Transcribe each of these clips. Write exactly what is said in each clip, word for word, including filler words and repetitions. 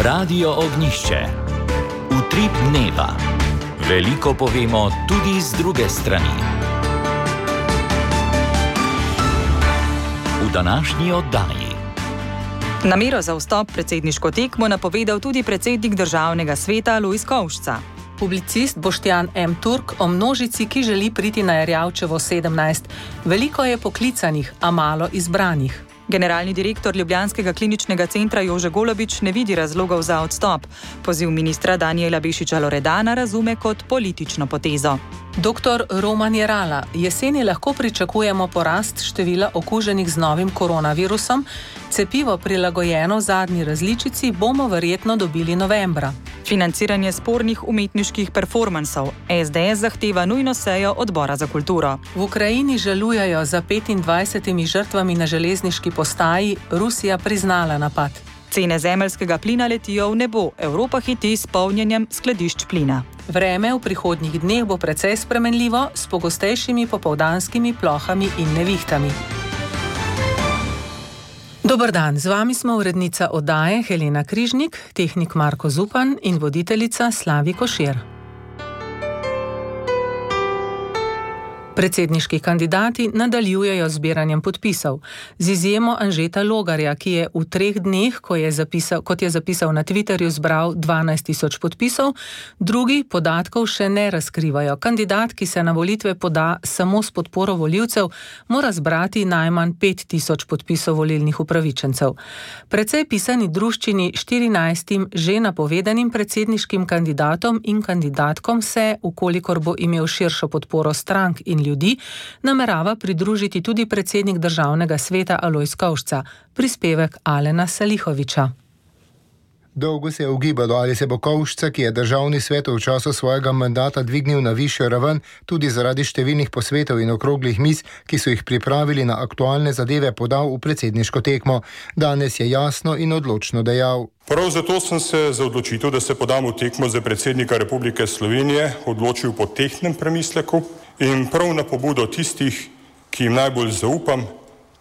Radio Ognjišče. Utrip dneva. Veliko povemo tudi z druge strani. V današnji oddaji. Namero za vstop v predsedniško tekmo napovedal tudi predsednik državnega sveta Lojz Kovšca. Publicist Boštjan M. Turk o množici, ki želi priti na Erjavčevo sedemnajst. Veliko je poklicanih, a malo izbranih. Generalni direktor Ljubljanskega kliničnega centra Jože Golobič ne vidi razlogov za odstop. Poziv ministra Danijela Bešiča Loredana razume kot politično potezo. Doktor Roman Jerala, jeseni lahko pričakujemo porast števila okuženih z novim koronavirusom. Cepivo prilagojeno zadnji različici bomo verjetno dobili novembra. Financiranje spornih umetniških performansov. es de es zahteva nujno sejo odbora za kulturo. V Ukrajini žalujejo za petindvajsetimi žrtvami na železniški postaji, Rusija priznala napad. Cene zemeljskega plina letijo v nebo, Evropa hiti s polnjenjem skladišč plina. Vreme v prihodnjih dneh bo precej spremenljivo, s pogostejšimi popoldanskimi plohami in nevihtami. Dober dan, z vami smo urednica oddaje Helena Križnik, tehnik Marko Zupan in voditeljica Slavi Košir. Predsedniški kandidati nadaljujejo zbiranjem podpisov. Z izjemo Anžeta Logarja, ki je v treh dneh, ko je zapisal, kot je zapisal na Twitterju, zbral dvanajst tisoč podpisov, drugi podatkov še ne razkrivajo. Kandidat, ki se na volitve poda samo s podporo volivcev, mora zbrati najmanj pet tisoč podpisov volilnih upravičencev. Precej pisani druščini štirinajstim že napovedanim predsedniškim kandidatom in kandidatkom se, ukolikor bo imel širšo podporo strank in ljudi, namerava pridružiti tudi predsednik državnega sveta Lojz Kovšca. Prispevek Alena Salihoviča. Dolgo se je ugibalo, ali se bo Kovšca, ki je državni svet v času svojega mandata dvignil na višjo raven, tudi zaradi številnih posvetov in okroglih miz, ki so jih pripravili na aktualne zadeve, podal v predsedniško tekmo. Danes je jasno in odločno dejal. Prav zato sem se za odločitev, da se podam v tekmo za predsednika Republike Slovenije, odločil po tehtnem premisleku in prav na pobudo tistih, ki jim najbolj zaupam,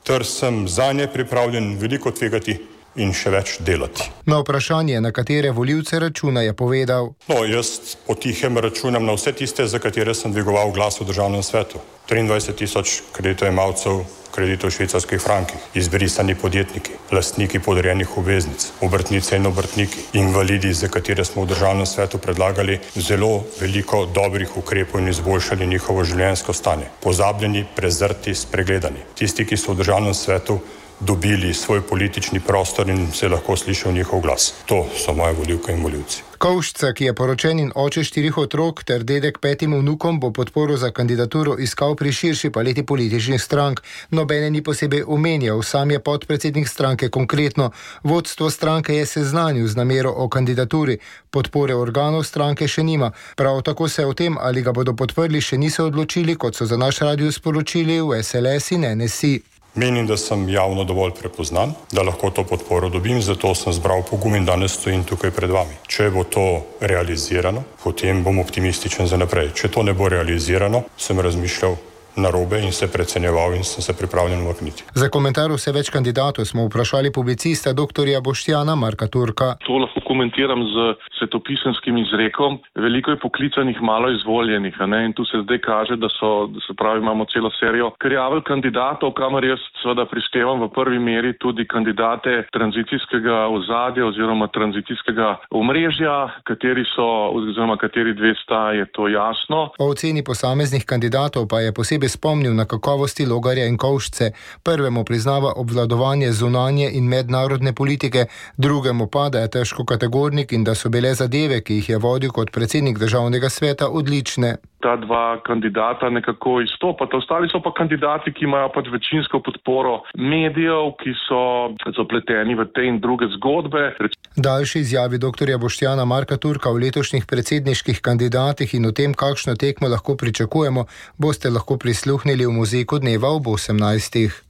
ter sem zanje pripravljen veliko tvegati in še več delati. Na vprašanje, na katere volivce računa, je povedal. No, jaz potihem računam na vse tiste, za katere sem dvigoval glas v državnem svetu. triindvajset tisoč kreditojemalcev kreditov v švicarskih frankih, izbrisani podjetniki, lastniki podrejenih obveznic, obrtnice in obrtniki, invalidi, za katere smo v državnem svetu predlagali zelo veliko dobrih ukrepov in izboljšali njihovo življenjsko stanje. Pozabljeni, prezrti, spregledani. Tisti, ki so v državnem svetu dobili svoj politični prostor in se lahko slišal njihov glas. To so moje volivke in volivci. Kovšca, ki je poročen in oče štirih otrok ter dedek petim vnukom, bo podporo za kandidaturo iskal pri širši paleti političnih strank. Nobene ni posebej omenjal, sam je podpredsednik stranke konkretno. Vodstvo stranke je seznanil z namero o kandidaturi. Podpore organov stranke še nima. Prav tako se o tem, ali ga bodo podprli, še niso odločili, kot so za naš radio sporočili v es el es in en es i. Menim, da sem javno dovolj prepoznan, da lahko to podporo dobim, zato sem zbral pogum in danes stojim tukaj pred vami. Če bo to realizirano, potem bom optimističen za naprej. Če to ne bo realizirano, sem razmišljal narobe in se precenjeval in sem se pripravljen umakniti. Za komentar vse več kandidatov smo vprašali publicista doktorja Boštjana Marka Turka. To lahko komentiram z svetopisenskim izrekom. Veliko je poklicanih, malo izvoljenih, a ne? In tu se zdaj kaže, da so, da se pravi, imamo celo serijo krjavelj kandidatov, kamor jaz seveda prištevam v prvi meri tudi kandidate tranzicijskega ozadja oziroma tranzicijskega omrežja, kateri so, oziroma kateri dve sta, je to jasno. O oceni posameznih kandidatov pa je posebej spomnil na kakovosti Logarja in Kovšce. Prvemu priznava obvladovanje zunanje in mednarodne politike, drugemu pa, da je težko kategornik in da so bile zadeve, ki jih je vodil kot predsednik državnega sveta, odlične. Ta dva kandidata nekako izstopata. Ostali so pa kandidati, ki imajo pač večinsko podporo medijev, ki so zapleteni v te in druge zgodbe. Daljši izjavi doktorja Boštjana Marka Turka v letošnjih predsedniških kandidatih in o tem, kakšno tekmo lahko pričakujemo, boste lahko prisluhnili v Muzejku dneva ob osemnajstih.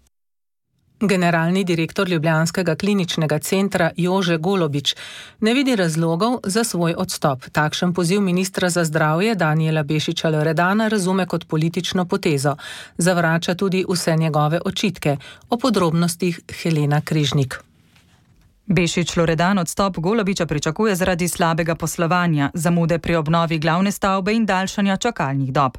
Generalni direktor Ljubljanskega kliničnega centra Jože Golobič ne vidi razlogov za svoj odstop. Takšen poziv ministra za zdravje Danijela Bešiča Loredana razume kot politično potezo. Zavrača tudi vse njegove očitke. O podrobnostih Helena Križnik. Bešič Loredan odstop Golobiča pričakuje zaradi slabega poslovanja, zamude pri obnovi glavne stavbe in daljšanja čakalnih dob.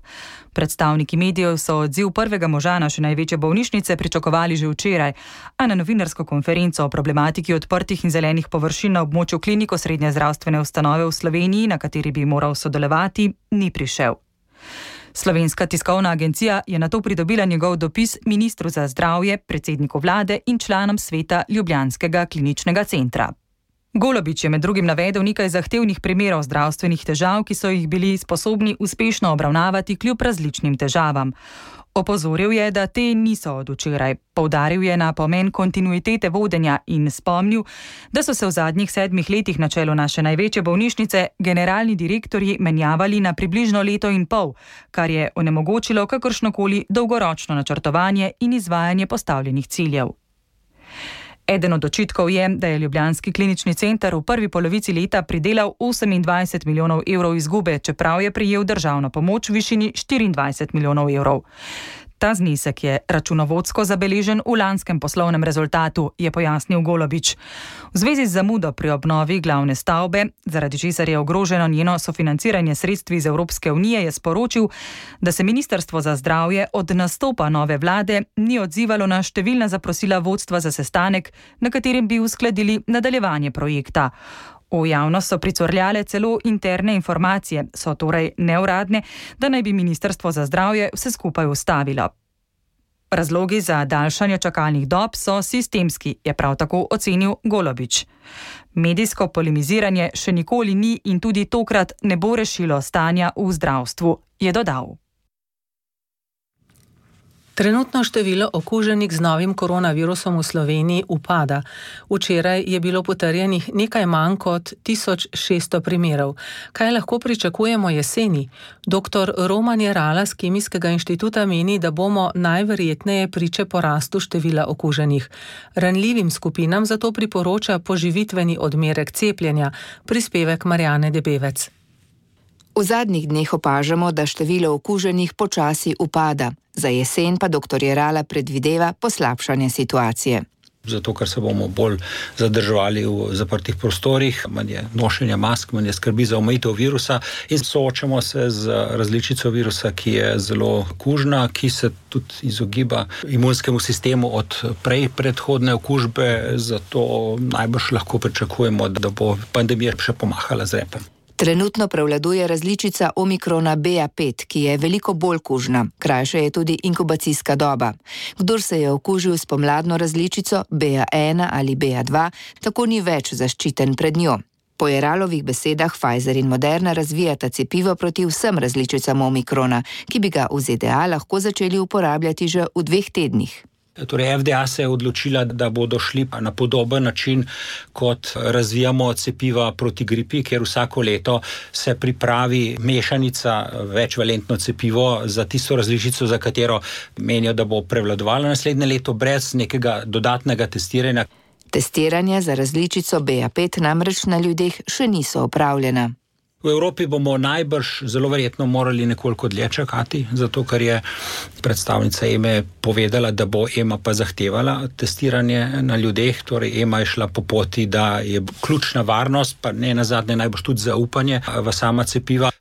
Predstavniki medijev so odziv prvega moža naše največje bolnišnice pričakovali že včeraj, a na novinarsko konferenco o problematiki odprtih in zelenih površin na območju kliniko srednje zdravstvene ustanove v Sloveniji, na kateri bi moral sodelovati, ni prišel. Slovenska tiskovna agencija je nato pridobila njegov dopis ministru za zdravje, predsedniku vlade in članom sveta Ljubljanskega kliničnega centra. Golobič je med drugim navedel nekaj zahtevnih primerov zdravstvenih težav, ki so jih bili sposobni uspešno obravnavati kljub različnim težavam. Opozoril je, da te niso od včeraj. Poudaril je na pomen kontinuitete vodenja in spomnil, da so se v zadnjih sedmih letih na čelu naše največje bolnišnice generalni direktorji menjavali na približno leto in pol, kar je onemogočilo kakršnokoli dolgoročno načrtovanje in izvajanje postavljenih ciljev. Eden od očitkov je, da je Ljubljanski klinični center v prvi polovici leta pridelal osemindvajset milijonov evrov izgube, čeprav je prejel državno pomoč v višini štiriindvajset milijonov evrov. Ta znesek je računovodsko zabeležen v lanskem poslovnem rezultatu, je pojasnil Golobič. V zvezi z zamudo pri obnovi glavne stavbe, zaradi česar je ogroženo njeno sofinanciranje sredstvi iz Evropske unije, je sporočil, da se Ministrstvo za zdravje od nastopa nove vlade ni odzivalo na številna zaprosila vodstva za sestanek, na katerem bi uskladili nadaljevanje projekta. V javnost so pricurljale celo interne informacije, so torej neuradne, da naj bi Ministrstvo za zdravje vse skupaj ustavilo. Razlogi za daljšanje čakalnih dob so sistemski, je prav tako ocenil Golobič. Medijsko polemiziranje še nikoli ni in tudi tokrat ne bo rešilo stanja v zdravstvu, je dodal. Trenutno število okuženih z novim koronavirusom v Sloveniji upada. Včeraj je bilo potrjenih nekaj manj kot tisoč šeststo primerov. Kaj lahko pričakujemo jeseni? Doktor Roman Jerala z Kemijskega inštituta meni, da bomo najverjetneje priče porastu števila okuženih. Ranljivim skupinam zato priporoča poživitveni odmerek cepljenja, prispevek Marjane Debevec. V zadnjih dneh opažamo, da število okuženih počasi upada. Za jesen pa doktor Jerala predvideva poslabšanje situacije. Zato, ker se bomo bolj zadrževali v zaprtih prostorih, manj je nošenja mask, manj je skrbi za omejitev virusa in soočamo se z različico virusa, ki je zelo kužna, ki se tudi izogiba imunskemu sistemu od prej predhodne okužbe, zato najbrž lahko pričakujemo, da bo pandemija še pomahala z repom. Trenutno prevladuje različica omikrona B A pet, ki je veliko bolj kužna. Krajša je tudi inkubacijska doba. Kdor se je okužil s pomladno različico B A ena ali B A dva, tako ni več zaščiten pred njo. Po Jeralovih besedah Pfizer in Moderna razvijata cepivo proti vsem različicam omikrona, ki bi ga v Z D A lahko začeli uporabljati že v dveh tednih. Torej, F D A se je odločila, da bodo šli na podoben način, kot razvijamo cepiva proti gripi, ker vsako leto se pripravi mešanica večvalentno cepivo za tisto različico, za katero menijo, da bo prevladovala naslednje leto brez nekega dodatnega testiranja. Testiranja za različico B A pet namreč na ljudeh še niso opravljena. V Evropi bomo najbrž zelo verjetno morali nekoliko dlje čakati, zato ker je predstavnica E M A povedala, da bo E M A pa zahtevala testiranje na ljudeh, torej E M A je šla po poti, da je ključna varnost, pa ne nazadnje najbrž tudi zaupanje v sama cepiva.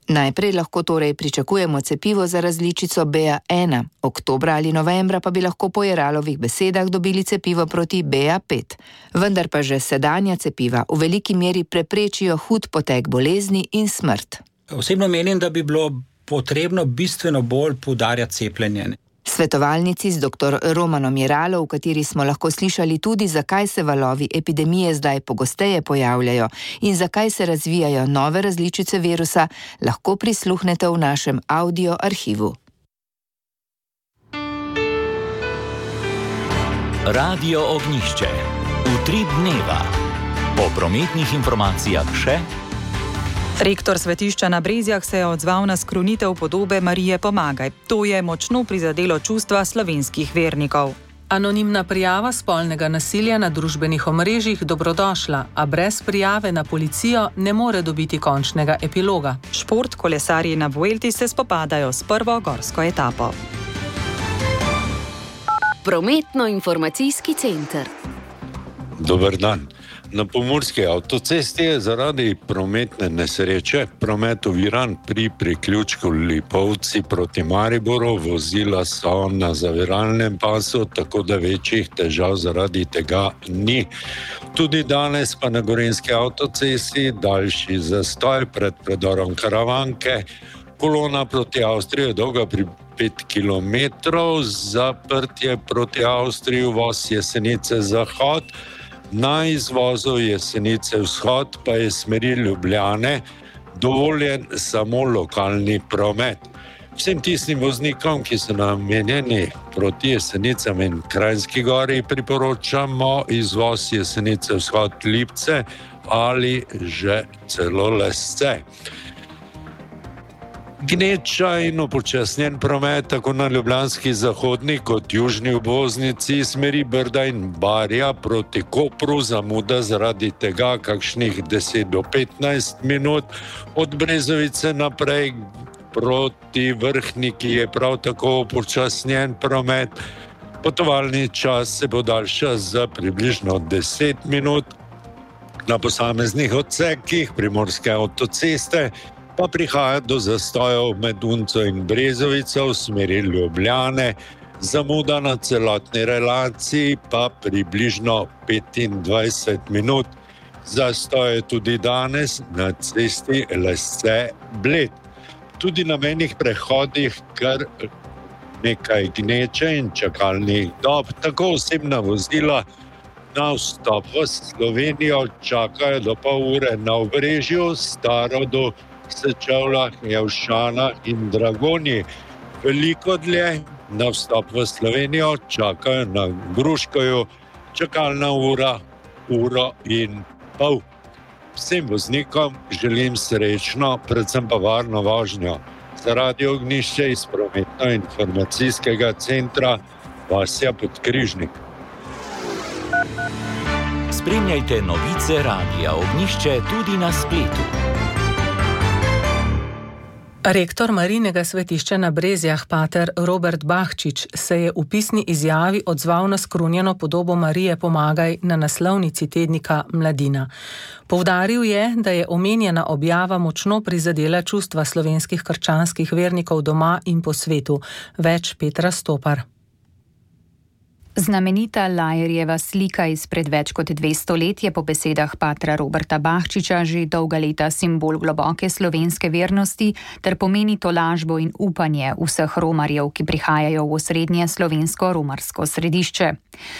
Najprej lahko torej pričakujemo cepivo za različico B A ena, oktobra ali novembra pa bi lahko po Jeralovih besedah dobili cepivo proti B A pet. Vendar pa že sedanja cepiva v veliki meri preprečijo hud potek bolezni in smrt. Osebno menim, da bi bilo potrebno bistveno bolj poudarjati cepljenje. Svetovalnici z doktor Romanom Jeralo, v kateri smo lahko slišali tudi, zakaj se valovi epidemije zdaj pogosteje pojavljajo in zakaj se razvijajo nove različice virusa, lahko prisluhnete v našem audio arhivu. Radio Ognjišče. Utrip dneva. Po prometnih informacijah še. Rektor svetišča na Brezjah se je odzval na skrunitev podobe Marije Pomagaj. To je močno prizadelo čustva slovenskih vernikov. Anonimna prijava spolnega nasilja na družbenih omrežjih dobrodošla, a brez prijave na policijo ne more dobiti končnega epiloga. Šport, kolesarji na Vuelti se spopadajo s prvo gorsko etapo. Prometno-informacijski center. Dober dan. Na pomurski avtocesti je zaradi prometne nesreče promet oviran pri priključku Lipovci proti Mariboru. Vozila so na zaviralnem pasu, tako da večjih težav zaradi tega ni. Tudi danes pa na gorenjski avtocesti daljši zastoj pred predorom Karavanke. Kolona proti Avstriji je dolga pri pet kilometrov, zaprtje proti Avstriji, uvoz Jesenice zahod. Na izvozu Jesenice vzhod pa je smeri Ljubljane dovoljen samo lokalni promet. Vsem tistim voznikom, ki so namenjeni proti Jesenicam in Kranjski Gori, priporočamo izvoz Jesenice vzhod Lipce ali že celo Lesce. Gneča in upočasnjen promet tako na ljubljanski zahodni kot južni obvoznici smeri Brda in Barja proti Kopru, zamuda zaradi tega kakšnih deset do petnajst minut. Od Brezovice naprej proti Vrhniki je prav tako upočasnjen promet. Potovalni čas se podaljša za približno deset minut. Na posameznih odsekih primorske avtoceste pa prihaja do zastojev med Unco in Brezovico v smeri Ljubljane, zamuda na celotni relaciji pa približno petindvajset minut. Zastoj je tudi danes na cesti Lesce-Bled. Tudi na mejnih prehodih kar nekaj gneče in čakalnih dob, tako osebna vozila na vstop v Slovenijo čakajo do pol ure na Obrežju, Starodu, Sečevljah, Javšanah in Dragonji. Veliko dlje na vstop v Slovenijo čakajo na Gruškoju, čakalna ura, uro in pol. Vsem voznikom želim srečno, predvsem pa varno vožnjo. Za Radio Ognjišče iz prometno-informacijskega centra Vasja Podkrižnik. Spremljajte novice Radia Ognjišče tudi na spletu. Rektor Marijinega svetišča na Brezjah, pater Robert Bahčič, se je v pisni izjavi odzval na skrunjeno podobo Marije Pomagaj na naslovnici tednika Mladina. Poudaril je, da je omenjena objava močno prizadela čustva slovenskih krščanskih vernikov doma in po svetu. Več Petra Stopar. Znamenita Lajerjeva slika izpred več kot dvesto let je po besedah patra Roberta Bahčiča že dolga leta simbol globoke slovenske vernosti ter pomeni tolažbo in upanje vseh romarjev, ki prihajajo v osrednje slovensko romarsko središče.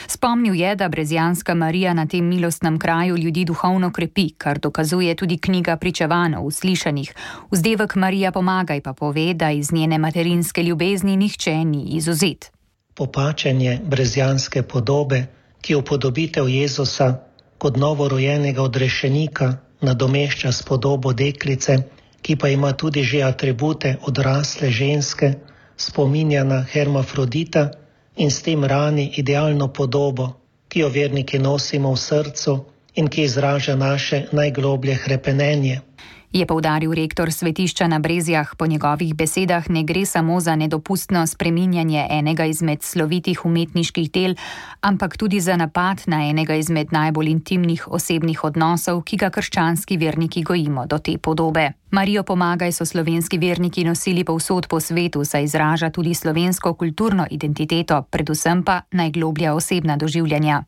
Spomnil je, da brezjanska Marija na tem milostnem kraju ljudi duhovno krepi, kar dokazuje tudi knjiga pričevanj o uslišanih. Vzdevek Marija Pomagaj pa pove, da iz njene materinske ljubezni nihče ni izvzet. Popačenje brezjanske podobe, ki upodobitev Jezusa kot novorojenega odrešenika nadomešča s podobo deklice, ki pa ima tudi že atribute odrasle ženske, spominja na hermafrodita in s tem rani idealno podobo, ki jo verniki nosimo v srcu in ki izraža naše najgloblje hrepenenje. Je poudaril rektor svetišča na Brezjah. Po njegovih besedah ne gre samo za nedopustno spreminjanje enega izmed slovitih umetniških del, ampak tudi za napad na enega izmed najbolj intimnih osebnih odnosov, ki ga krščanski verniki gojimo do te podobe. Marijo Pomagaj so slovenski verniki nosili povsod po svetu, saj izraža tudi slovensko kulturno identiteto, predvsem pa najgloblja osebna doživljanja.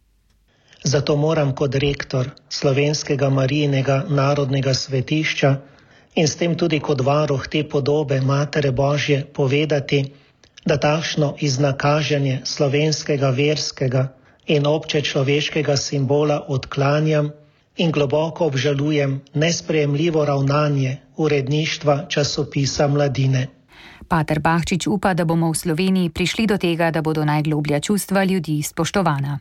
Zato moram kot rektor slovenskega Marijinega narodnega svetišča in s tem tudi kot varuh te podobe Matere Božje povedati, da takšno iznakaženje slovenskega verskega in obče človeškega simbola odklanjam in globoko obžalujem nesprejemljivo ravnanje uredništva časopisa Mladine. Pater Bahčič upa, da bomo v Sloveniji prišli do tega, da bodo najgloblja čustva ljudi spoštovana.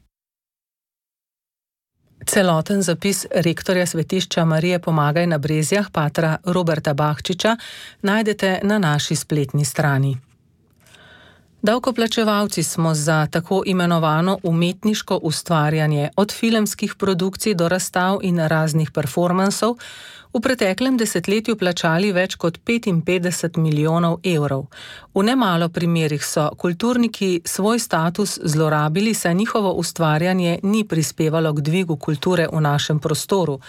Celoten zapis rektorja svetišča Marije Pomagaj na Brezjah, patra Roberta Bahčiča, najdete na naši spletni strani. Davkoplačevalci smo za tako imenovano umetniško ustvarjanje, od filmskih produkcij do razstav in raznih performansov, v preteklem desetletju plačali več kot petinpetdeset milijonov evrov. V nemalo primerih so kulturniki svoj status zlorabili, saj njihovo ustvarjanje ni prispevalo k dvigu kulture v našem prostoru.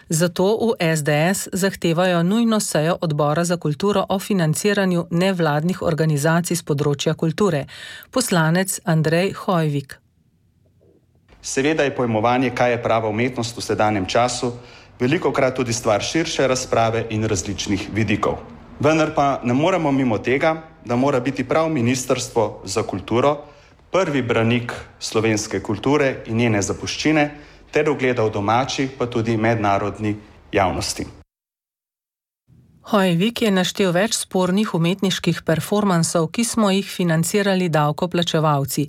Zato v S D S zahtevajo nujno sejo Odbora za kulturo o financiranju nevladnih organizacij z področja kulture. Poslanec Andrej Hojvik. Seveda je pojmovanje, kaj je prava umetnost v sedanjem času, velikokrat tudi stvar širše razprave in različnih vidikov. Vendar pa ne moremo mimo tega, da mora biti prav Ministrstvo za kulturo prvi branik slovenske kulture in njene zapuščine ter ugleda v domači pa tudi mednarodni javnosti. Hojvik je naštel več spornih umetniških performansov, ki smo jih financirali davkoplačevalci.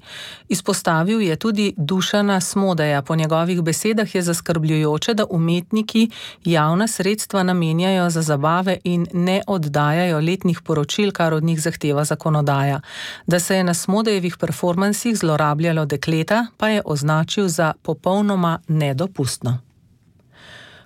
Izpostavil je tudi Dušana Smodeja. Po njegovih besedah je zaskrbljujoče, da umetniki javna sredstva namenjajo za zabave in ne oddajajo letnih poročil, kar od njih zahteva zakonodaja. Da se je na Smodejevih performansih zlorabljalo dekleta, pa je označil za popolnoma nedopustno.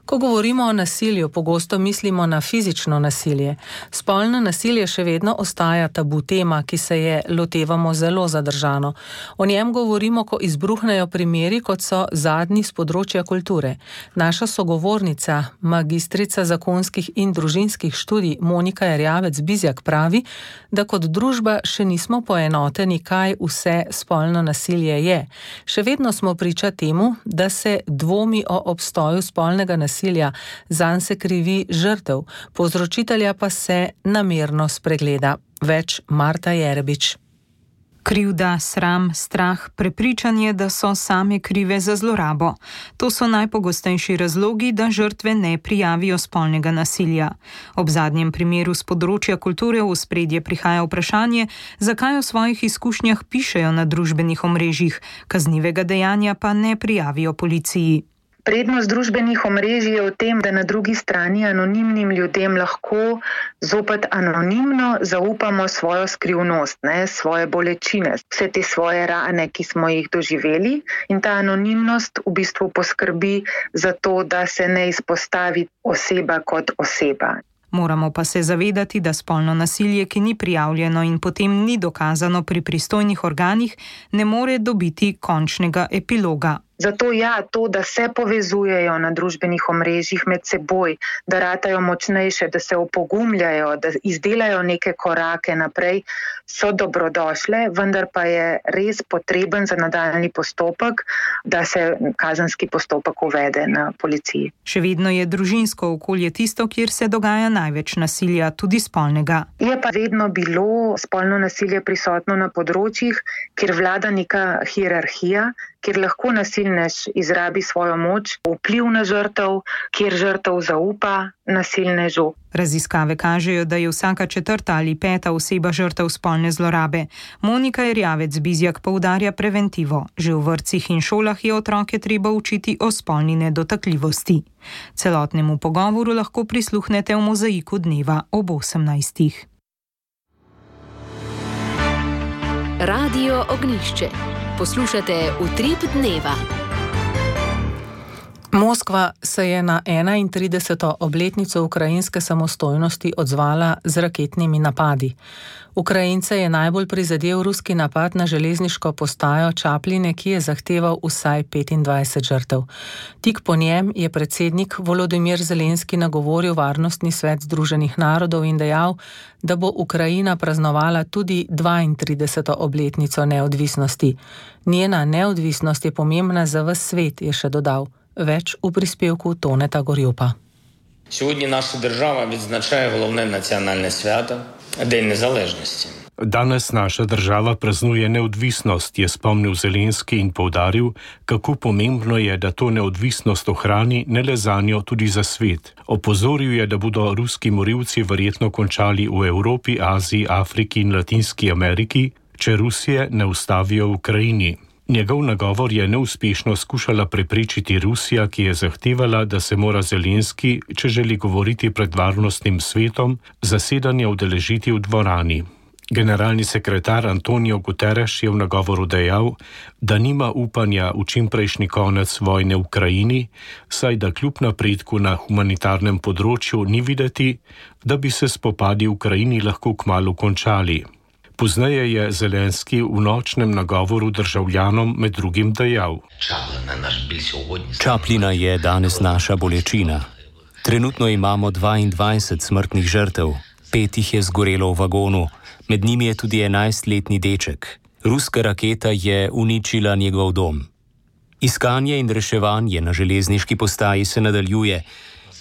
Ko govorimo o nasilju, pogosto mislimo na fizično nasilje. Spolno nasilje še vedno ostaja tabu tema, ki se je lotevamo zelo zadržano. O njem govorimo, ko izbruhnejo primeri, kot so zadnji z področja kulture. Naša sogovornica, magistrica zakonskih in družinskih študij Monika Erjavec-Bizjak pravi, da kot družba še nismo poenoteni, kaj vse spolno nasilje je. Še vedno smo priča temu, da se dvomi o obstoju spolnega nasilja. Zanj se krivi žrtev, povzročitelja pa se namerno spregleda. Več Marta Jerebič. Krivda, sram, strah, prepričanje, da so same krive za zlorabo. To so najpogostejši razlogi, da žrtve ne prijavijo spolnega nasilja. Ob zadnjem primeru z področja kulture v ospredje prihaja vprašanje, zakaj o svojih izkušnjah pišejo na družbenih omrežjih, kaznivega dejanja pa ne prijavijo policiji. Prednost družbenih omrežij je v tem, da na drugi strani anonimnim ljudem lahko zopet anonimno zaupamo svojo skrivnost, ne, svoje bolečine, vse te svoje rane, ki smo jih doživeli, in ta anonimnost v bistvu poskrbi za to, da se ne izpostavi oseba kot oseba. Moramo pa se zavedati, da spolno nasilje, ki ni prijavljeno in potem ni dokazano pri pristojnih organih, ne more dobiti končnega epiloga. Zato ja, to, da se povezujejo na družbenih omrežjih med seboj, da ratajo močnejše, da se opogumljajo, da izdelajo neke korake naprej, so dobrodošle, vendar pa je res potreben za nadaljnji postopek, da se kazenski postopek uvede na policiji. Še vedno je družinsko okolje tisto, kjer se dogaja največ nasilja, tudi spolnega. Je pa vedno bilo spolno nasilje prisotno na področjih, kjer vlada neka hierarhija, kjer lahko nasilnež izrabi svojo moč, vpliv na žrtev, kjer žrtev zaupa nasilnežu. Raziskave kažejo, da je vsaka četrta ali peta oseba žrtev spolne zlorabe. Monika Erjavec-Bizjak poudarja preventivo. Že v vrtcih in šolah je otroke treba učiti o spolni nedotakljivosti. Celotnemu pogovoru lahko prisluhnete v Mozaiku dneva ob osemnajstih. Radio Ognjišče. Poslušate Utrip dneva. Moskva se je na enaintrideseto obletnico ukrajinske samostojnosti odzvala z raketnimi napadi. Ukrajince je najbolj prizadel ruski napad na železniško postajo Čapline, ki je zahteval vsaj petindvajset žrtev. Tik po njem je predsednik Volodimir Zelenski nagovoril Varnostni svet Združenih narodov in dejal, da bo Ukrajina praznovala tudi dvaintrideseto obletnico neodvisnosti. Njena neodvisnost je pomembna za ves svet, je še dodal. Več v prispevku Toneta Gorjupa. Сьогодні наша держава відзначає головне національне свято – День Незалежності. Danes naša država praznuje neodvisnost, je spomnil Zelenski in poudaril, kako pomembno je, da to neodvisnost ohrani ne le zanjo, tudi za svet. Opozoril je, da bodo ruski morilci verjetno končali v Evropi, Aziji, Afriki in Latinski Ameriki, če Rusije ne ustavijo v Ukrajini. Njegov nagovor je neuspešno skušala preprečiti Rusija, ki je zahtevala, da se mora Zelenski, če želi govoriti pred varnostnim svetom, zasedanja udeležiti v dvorani. Generalni sekretar Antonio Guterres je v nagovoru dejal, da nima upanja v čimprejšnji konec vojne v Ukrajini, saj da kljub napredku na humanitarnem področju ni videti, da bi se spopadi v Ukrajini lahko kmalu končali. Pozneje je Zelenski v nočnem nagovoru državljanom med drugim dejal: Čaplina je danes naša bolečina. Trenutno imamo dvaindvajset smrtnih žrtev, pet jih je zgorelo v vagonu, med njimi je tudi enajstletni deček. Ruska raketa je uničila njegov dom. Iskanje in reševanje na železniški postaji se nadaljuje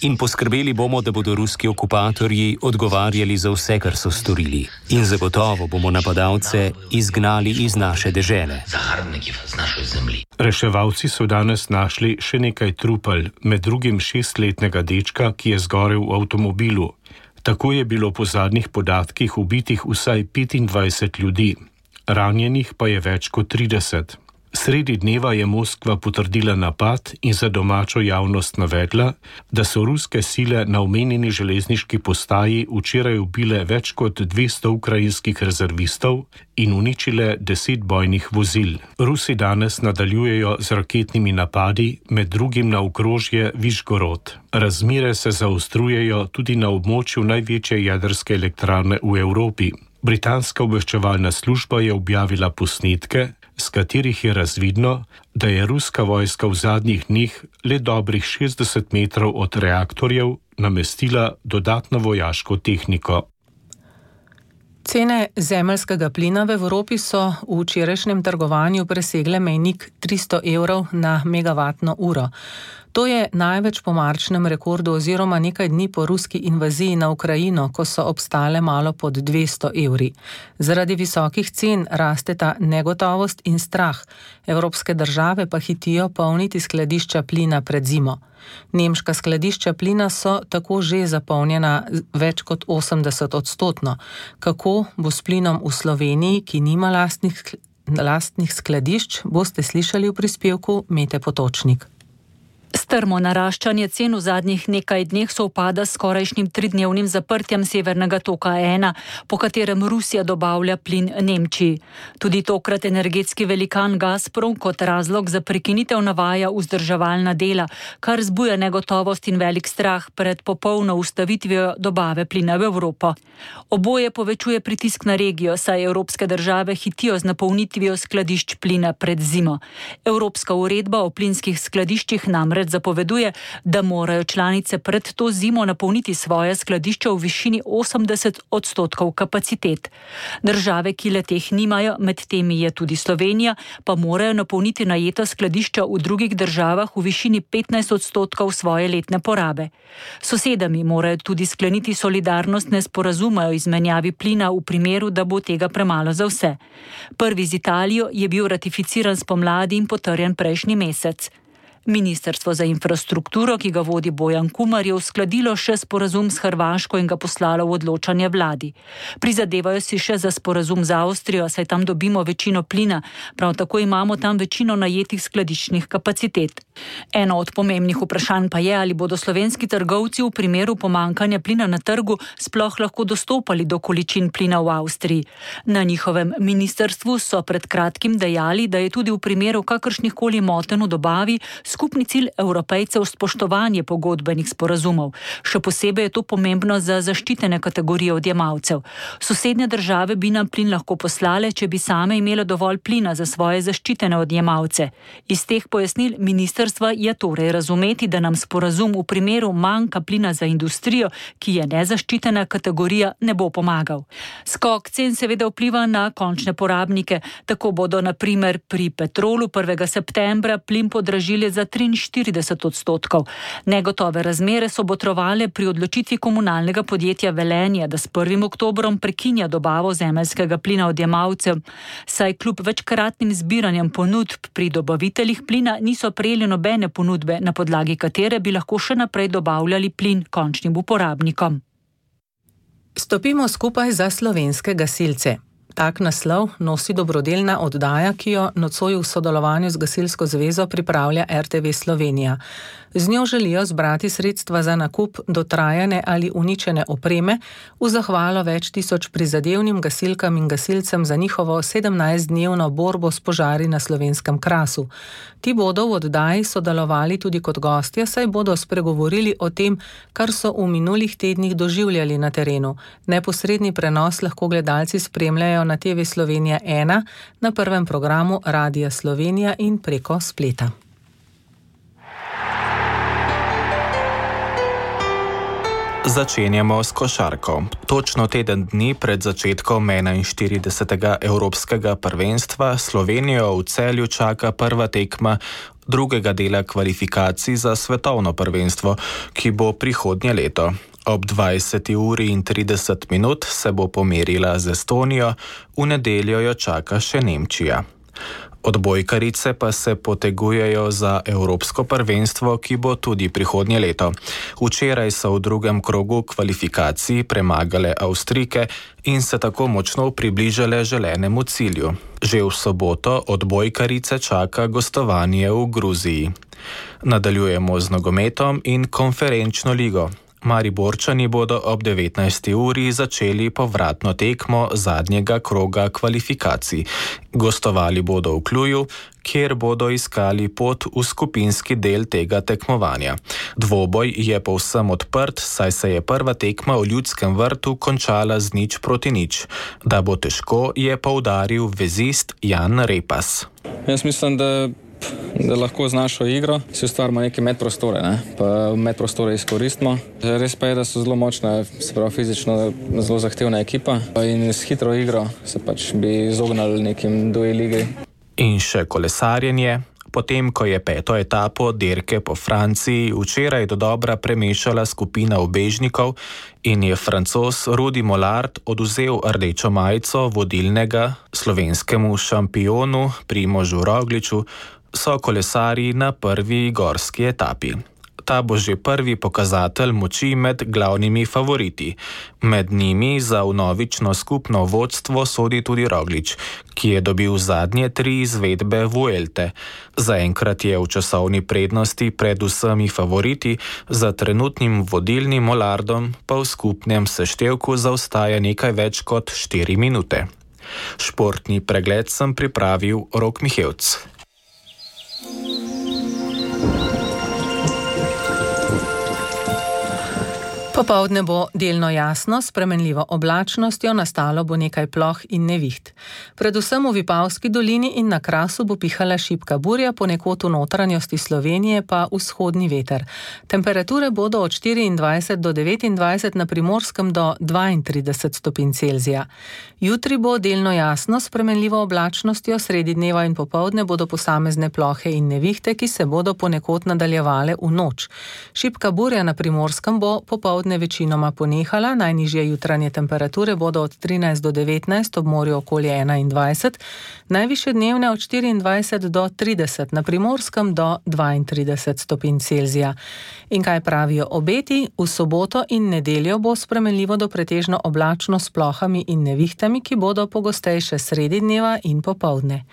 in poskrbeli bomo, da bodo ruski okupatorji odgovarjali za vse, kar so storili. In zagotovo bomo napadalce izgnali iz naše dežele. Reševalci so danes našli še nekaj trupel, med drugim šestletnega dečka, ki je zgorel v avtomobilu. Tako je bilo po zadnjih podatkih ubitih vsaj petindvajset ljudi, ranjenih pa je več kot trideset. Sredi dneva je Moskva potrdila napad in za domačo javnost navedla, da so ruske sile na omenjeni železniški postaji včeraj ubile več kot dvesto ukrajinskih rezervistov in uničile deset bojnih vozil. Rusi danes nadaljujejo z raketnimi napadi, med drugim na okrožje Višgorod. Razmere se zaostrujejo tudi na območju največje jedrske elektrarne v Evropi. Britanska obveščevalna služba je objavila posnetke, z katerih je razvidno, da je ruska vojska v zadnjih dneh le dobrih šestdeset metrov od reaktorjev namestila dodatno vojaško tehniko. Cene zemeljskega plina v Evropi so v včerajšnjem trgovanju presegle mejnik tristo evrov na megavatno uro. To je največ po marčnem rekordu oziroma nekaj dni po ruski invaziji na Ukrajino, ko so obstale malo pod dvesto evri. Zaradi visokih cen rasteta negotovost in strah. Evropske države pa hitijo polniti skladišča plina pred zimo. Nemška skladišča plina so tako že zapolnjena več kot osemdeset odstotno. Kako bo s plinom v Sloveniji, ki nima lastnih, lastnih skladišč, boste slišali v prispevku Mete Potočnik. Strmo naraščanje cen v zadnjih nekaj dneh sovpada s skorajšnjim tridnevnim zaprtjem Severnega toka ena, po katerem Rusija dobavlja plin Nemčiji. Tudi tokrat energetski velikan Gazprom kot razlog za prekinitev navaja vzdrževalna dela, kar zbuja negotovost in velik strah pred popolno ustavitvijo dobave plina v Evropo. Oboje povečuje pritisk na regijo, saj evropske države hitijo z napolnitvijo skladišč plina pred zimo. Evropska uredba o plinskih skladiščih namreč zapoveduje, da morajo članice pred to zimo napolniti svoje skladišča v višini osemdeset odstotkov kapacitet. Države, ki le teh nimajo, med temi je tudi Slovenija, pa morajo napolniti najeta skladišča v drugih državah v višini petnajst odstotkov svoje letne porabe. Sosedami morajo tudi skleniti solidarnostne sporazume o izmenjavi plina v primeru, da bo tega premalo za vse. Prvi z Italijo je bil ratificiran spomladi in potrjen prejšnji mesec. Ministrstvo za infrastrukturo, ki ga vodi Bojan Kumar, je uskladilo še sporazum s Hrvaško in ga poslalo v odločanje vladi. Prizadevajo si še za sporazum z Avstrijo, saj tam dobimo večino plina, prav tako imamo tam večino najetih skladiščnih kapacitet. Eno od pomembnih vprašanj pa je, ali bodo slovenski trgovci v primeru pomankanja plina na trgu sploh lahko dostopali do količin plina v Avstriji. Na njihovem ministrstvu so pred kratkim dejali, da je tudi v primeru kakršnihkoli motenj v dobavi skupni cilj Evropejcev spoštovanje pogodbenih sporazumov. Še posebej je to pomembno za zaščitene kategorije odjemalcev. Sosednje države bi nam plin lahko poslale, če bi same imele dovolj plina za svoje zaščitene odjemalce. Iz teh pojasnil ministrstva je torej razumeti, da nam sporazum v primeru manjka plina za industrijo, ki je nezaščitena kategorija, ne bo pomagal. Skok cen seveda vpliva na končne porabnike. Tako bodo na primer pri Petrolu prvega septembra plin podražili za triinštirideset odstotkov. Negotove razmere so botrovale pri odločitvi komunalnega podjetja Velenje, da s prvim oktobrom prekinja dobavo zemeljskega plina odjemalcev, saj kljub večkratnim zbiranjem ponudb pri dobaviteljih plina niso prejeli nobene ponudbe, na podlagi katere bi lahko še naprej dobavljali plin končnim uporabnikom. Stopimo skupaj za slovenske gasilce. Tak naslov nosi dobrodelna oddaja, ki jo nocoj v sodelovanju z Gasilsko zvezo pripravlja R T V Slovenija. Z njo želijo zbrati sredstva za nakup dotrajane ali uničene opreme v zahvalo več tisoč prizadevnim gasilkam in gasilcem za njihovo sedemnajstdnevno borbo s požari na Slovenskem Krasu. Ti bodo v oddaji sodelovali tudi kot gostje, saj bodo spregovorili o tem, kar so v minulih tednih doživljali na terenu. Neposredni prenos lahko gledalci spremljajo na T V Slovenija ena, na prvem programu Radia Slovenija in preko spleta. Začenjamo s košarko. Točno teden dni pred začetkom enainštiridesetega evropskega prvenstva Slovenijo v Celju čaka prva tekma drugega dela kvalifikacij za svetovno prvenstvo, ki bo prihodnje leto. Ob dvajseti uri in trideset minut se bo pomerila z Estonijo, v nedeljo jo čaka še Nemčija. Odbojkarice pa se potegujejo za evropsko prvenstvo, ki bo tudi prihodnje leto. Včeraj so v drugem krogu kvalifikacij premagale Avstrijke in se tako močno približale želenemu cilju. Že v soboto odbojkarice čaka gostovanje v Gruziji. Nadaljujemo z nogometom in konferenčno ligo. Mariborčani bodo ob devetnajsti uri začeli povratno tekmo zadnjega kroga kvalifikacij. Gostovali bodo v Kluju, kjer bodo iskali pot v skupinski del tega tekmovanja. Dvoboj je povsem odprt, saj se je prva tekma v Ljudskem vrtu končala z nič proti nič. Da bo težko, je poudaril vezist Jan Repas. Jaz mislim, da da lahko z našo igro si ustvarimo neke medprostore, ne? Pa medprostore izkoristimo. Res pa je, da so zelo močna, se pravi fizično zelo zahtevna ekipa in s hitro igro se pač bi izognali nekim duel igri. In še kolesarjenje. Potem, ko je peto etapo dirke po Franciji včeraj dodobra premešala skupina ubežnikov in je Francoz Rudi Mollard oduzel rdečo majico vodilnega slovenskemu šampionu Primožu Rogliču, so kolesarji na prvi gorski etapi. Ta bo že prvi pokazatelj moči med glavnimi favoriti. Med njimi za vnovično skupno vodstvo sodi tudi Roglič, ki je dobil zadnje tri izvedbe Vuelte. Zaenkrat je v časovni prednosti pred vsemi favoriti, za trenutnim vodilnim Mollardom pa v skupnem seštevku zaostaja nekaj več kot štiri minute. Športni pregled sem pripravil Rok Mihevc. Popoldne bo delno jasno, s spremenljivo oblačnostjo, nastalo bo nekaj ploh in neviht. Predvsem v Vipavski dolini in na Krasu bo pihala šibka burja, ponekod v notranjosti Slovenije pa vzhodni veter. Temperature bodo od štiriindvajset do devetindvajset, na Primorskem do dvaintrideset stopinj Celzija. Jutri bo delno jasno, s spremenljivo oblačnostjo, sredi dneva in popoldne bodo posamezne plohe in nevihte, ki se bodo ponekod nadaljevale v noč. Šibka burja na Primorskem bo popoldne večinoma ponehala, najnižje jutranje temperature bodo od trinajst do devetnajst, ob morju okoli enaindvajset, najvišje dnevne od štiriindvajset do trideset, na Primorskem do dvaintrideset stopinj Celzija. In kaj pravijo obeti? V soboto in nedeljo bo spremenljivo do pretežno oblačno s plohami in nevihtami, ki bodo pogostejše sredi dneva in popoldne.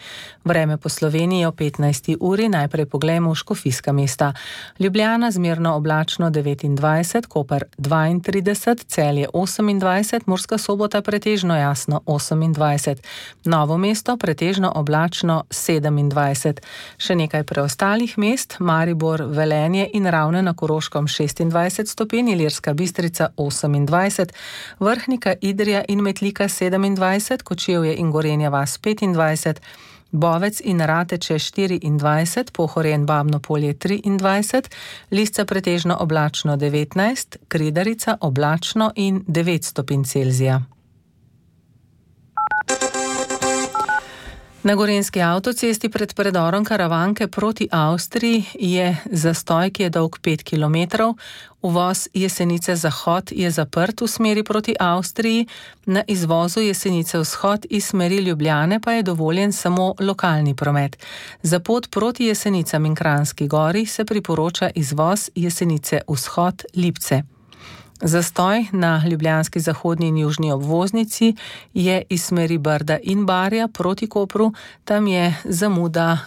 Vreme po Sloveniji o petnajsti uri, najprej poglejmo v škofijska mesta. Ljubljana zmerno oblačno devetindvajset, Koper dvaintrideset, Celje osemindvajset, Murska Sobota pretežno jasno osemindvajset, Novo mesto pretežno oblačno sedemindvajset. Še nekaj preostalih mest, Maribor, Velenje in Ravne na Koroškem šestindvajset stopinj, Ilirska Bistrica osemindvajset, Vrhnika, Idrija in Metlika sedemindvajset, Kočevje in Gorenja vas petindvajset, Bovec in Rateče štiriindvajset, Pohorje in Babno Polje triindvajset, Lisca pretežno oblačno devetnajst, Kridarica oblačno in devet stopinj Celzija. Na gorenjski avtocesti pred predorom Karavanke proti Avstriji je zastoj, ki je dolg pet kilometrov. Uvoz Jesenice Zahod je zaprt v smeri proti Avstriji, na izvozu Jesenice Vzhod iz smeri Ljubljane pa je dovoljen samo lokalni promet. Za pot proti Jesenicam in Kranjski Gori se priporoča izvoz Jesenice Vzhod Lipce. Zastoj na ljubljanski zahodni in južni obvoznici je iz smeri Brda in Barja proti Kopru, tam je zamuda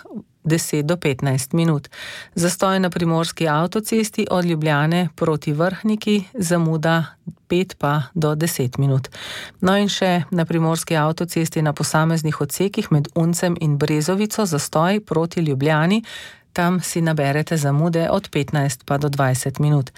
deset do petnajst minut. Zastoj na primorski avtocesti od Ljubljane proti Vrhniki, zamuda pet pa do deset minut. No in še na primorski avtocesti na posameznih odsekih med Uncem in Brezovico, zastoj proti Ljubljani, tam si naberete zamude od petnajst pa do dvajset minut.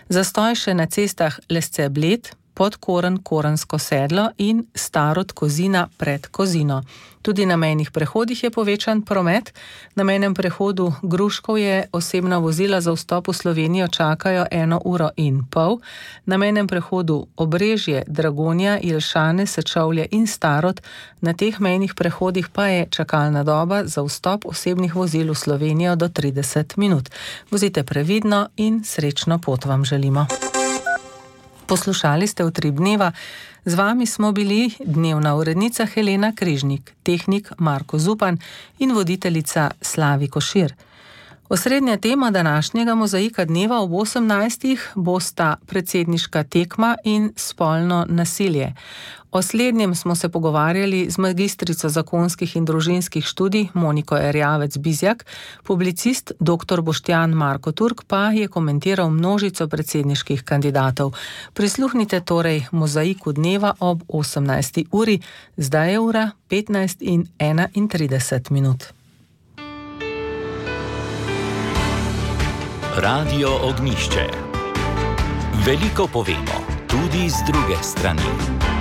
Zastoj še na cestah Lesce-Bled, Podkoren, Korensko sedlo in Starod Kozina pred Kozino. Tudi na mejnih prehodih je povečan promet. Na mejnem prehodu Gruškovje osebna vozila za vstop v Slovenijo čakajo eno uro in pol. Na mejnem prehodu Obrežje, Dragonja, Jelšane, Sečovlje in Starod, na teh mejnih prehodih pa je čakalna doba za vstop osebnih vozil v Slovenijo do trideset minut. Vozite previdno in srečno pot vam želimo. Poslušali ste Utrip dneva, z vami smo bili dnevna urednica Helena Križnik, tehnik Marko Zupan in voditeljica Slavi Košir. Osrednja tema današnjega Mozaika dneva ob osemnajstih bosta predsedniška tekma in spolno nasilje. O slednjem smo se pogovarjali z magistrico zakonskih in družinskih študij Moniko Erjavec-Bizjak, publicist dr. Boštjan Marko Turk pa je komentiral množico predsedniških kandidatov. Prisluhnite torej Mozaiku dneva ob osemnajsti uri, zdaj je ura petnajst in enaintrideset minut. Radio Ognišče. Veliko povemo, tudi z druge strani.